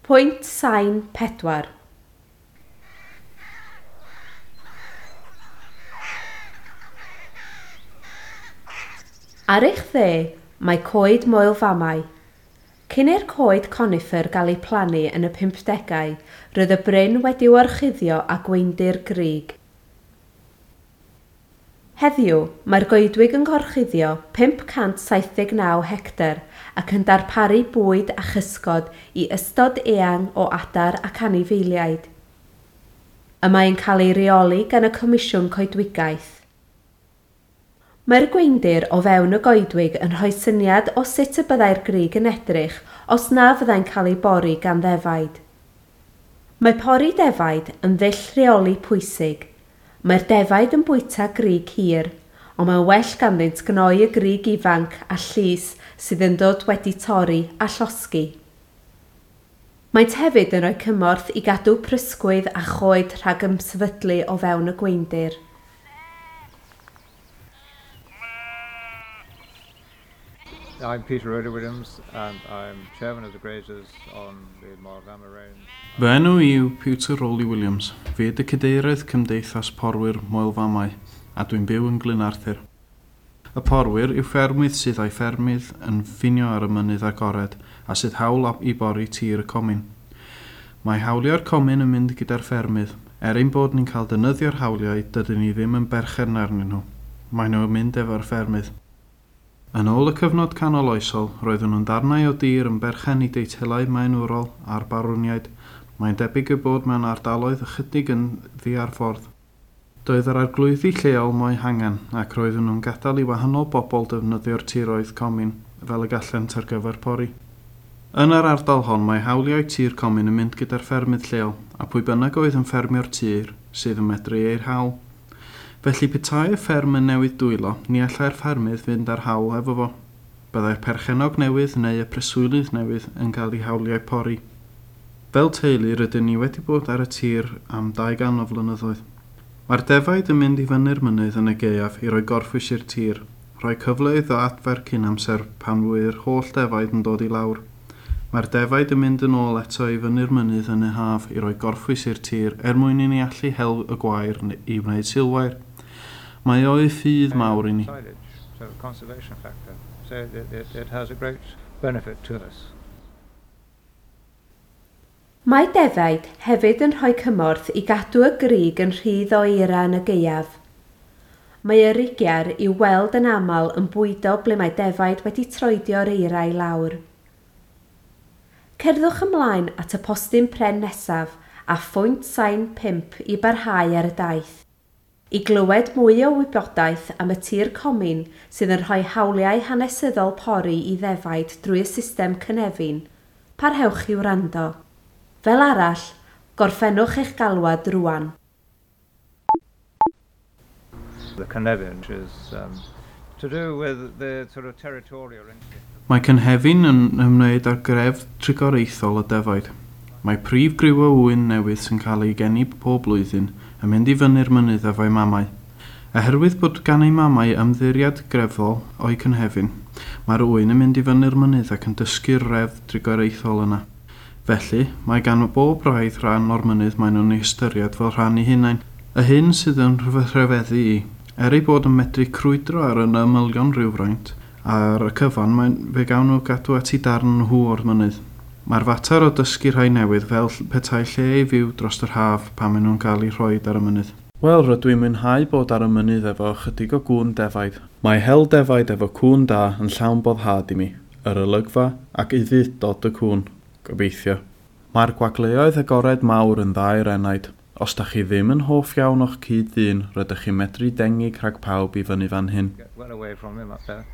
Pwynt sain 4. Ar eich dde mae coed Moel Famau. Cyn i'r coed conifer gael eu plannu yn y 50au, roedd y bryn wedi'i orchuddio â gweundir grug. Heddiw, mae'r goedwig yn gorchuddio 579 hectar ac yn darparu bwyd a chysgod i ystod eang o adar ac anifeiliaid. Y mae'n cael ei reoli gan y Comisiwn Coedwigaeth. Mae'r gweundir o fewn y goedwig yn rhoi syniad o sut y byddai'r grug yn edrych os na fyddai'n cael ei bori gan ddefaid. Mae pori defaid yn ddull rheoli pwysig. Mae'r defaid yn bwyta grug hir, ond mae'n well ganddynt gnoi y grug ifanc a llus sydd yn dod wedi torri a llosgi. Maent hefyd yn rhoi cymorth i gadw prysgwydd a choed rhag ymsefydlu o fewn y gweundir. I'm Peter Rowley Williams and I'm chairman of the Graziers on the Moel Famau Range. Fy enw i yw Peter Rowley Williams. Fi ydy cadeirydd Cymdeithas Porwyr Moel Famau a dwi'n byw yn Glyn Arthur. Y porwyr yw ffermydd sydd â'i ffermydd yn ffinio ar y mynydd agored a sydd hawl i bori tir y comin. Mae hawliau'r comin yn mynd gyda'r ffermydd. Er ein bod ni'n cael defnyddio'r hawliau, dydyn ni ddim yn berchen arnyn nhw. Maen nhw'n mynd efo'r ffermydd. Yn ôl y cyfnod canoloesol, roedden nhw'n ddarnau o dir yn berchen i deitlau maenorol a'r barwniaid. Mae'n debyg eu bod mewn ardaloedd ychydig yn ddiarffordd. Doedd yr arglwyddi lleol mo'u hangen, ac roedden nhw'n gadael i wahanol bobl defnyddio'r tiroedd comin fel y gallent ar gyfer pori. Yn yr ardal hon mae hawliau tir comin yn mynd gyda'r ffermydd lleol, a pwy bynnag oedd yn ffermio'r tir sydd yn medru ei hawl. Felly petai y fferm yn newid dwylo, ni allai'r ffermydd fynd â'r hawl efo fo. Byddai'r perchennog newydd neu y preswylydd newydd yn cael ei hawliau pori. Fel teulu rydyn ni wedi bod ar y tir am 200 o flynyddoedd. Mae'r defaid yn mynd i fyny'r mynydd yn y gaeaf i roi gorffwys i'r tir, rhoi cyfle iddo adfer cyn amser pan fydd holl defaid yn dod i lawr. Mae'r defaid yn mynd yn ôl eto i fyny'r mynydd yn y haf i roi gorffwys i'r tir er mwyn i ni allu hel y gwair i wneud silwair. Mae o fudd mawr i ni. Silage, so conservation factor. So it has a great benefit to us. Mae defaid hefyd yn rhoi cymorth i gadw y grug yn rhydd o eira yn y gaeaf. Mae y rugiar i'w weld yn aml yn bwydo ble mae defaid wedi troedio'r eira i lawr. Cerddwch ymlaen at y postyn pren nesaf a phwynt sain 5 i barhau ar y daith. I glywed mwy o wybodaeth am y tir comin sydd yn rhoi hawliau hanesyddol pori i ddefaid drwy y system cynefin, parhewch i wrando. Fel arall, gorffennwch eich galwad rŵan. The cynefin is to do with the sort of territorial instinct. Mae cynefin yn ymwneud â'r grefdd trigoreithol y defaid. Mae prif griw o ŵyn newydd sy'n cael ei geni pob blwyddyn yn mynd i fyny'r mynydd efo'i mamau. Oherwydd bod gan ei mamau ymddiried grefddol o'i cynefin, mae'r ŵyn yn mynd i fyny'r mynydd ac yn dysgu'r reddf drigoreithol yna. Felly, mae gan bob braidd rhan o'r mynydd maen nhw'n ei ystyried fel rhan eu hunain. Y hyn sydd yn rhyfeddu i, er ei bod yn medru crwydro ar yn ymylion rhywfaint, ar y cyfan mae, fe gawn nhw gadw at eu darn nhw o'r mynydd. Mae'r fater o dysgu rhai newydd fel petai lle i fyw dros yr haf pan maen nhw'n cael eu rhoi ar y mynydd. Wel, rydw i'n mwynhau bod ar y mynydd efo ychydig o gŵn defaid. Mae hel defaid efo cŵn da yn llawn boddhad i mi, yr olygfa ac ufudd-dod y cŵn, gobeithio. Mae'r gwagleoedd agored mawr yn dda i'r enaid. Os da chi ddim yn hoff iawn o'ch cyd-ddyn, rydych chi'n medru dengig rhag pawb i fyny fan hyn. Get well away from him up there.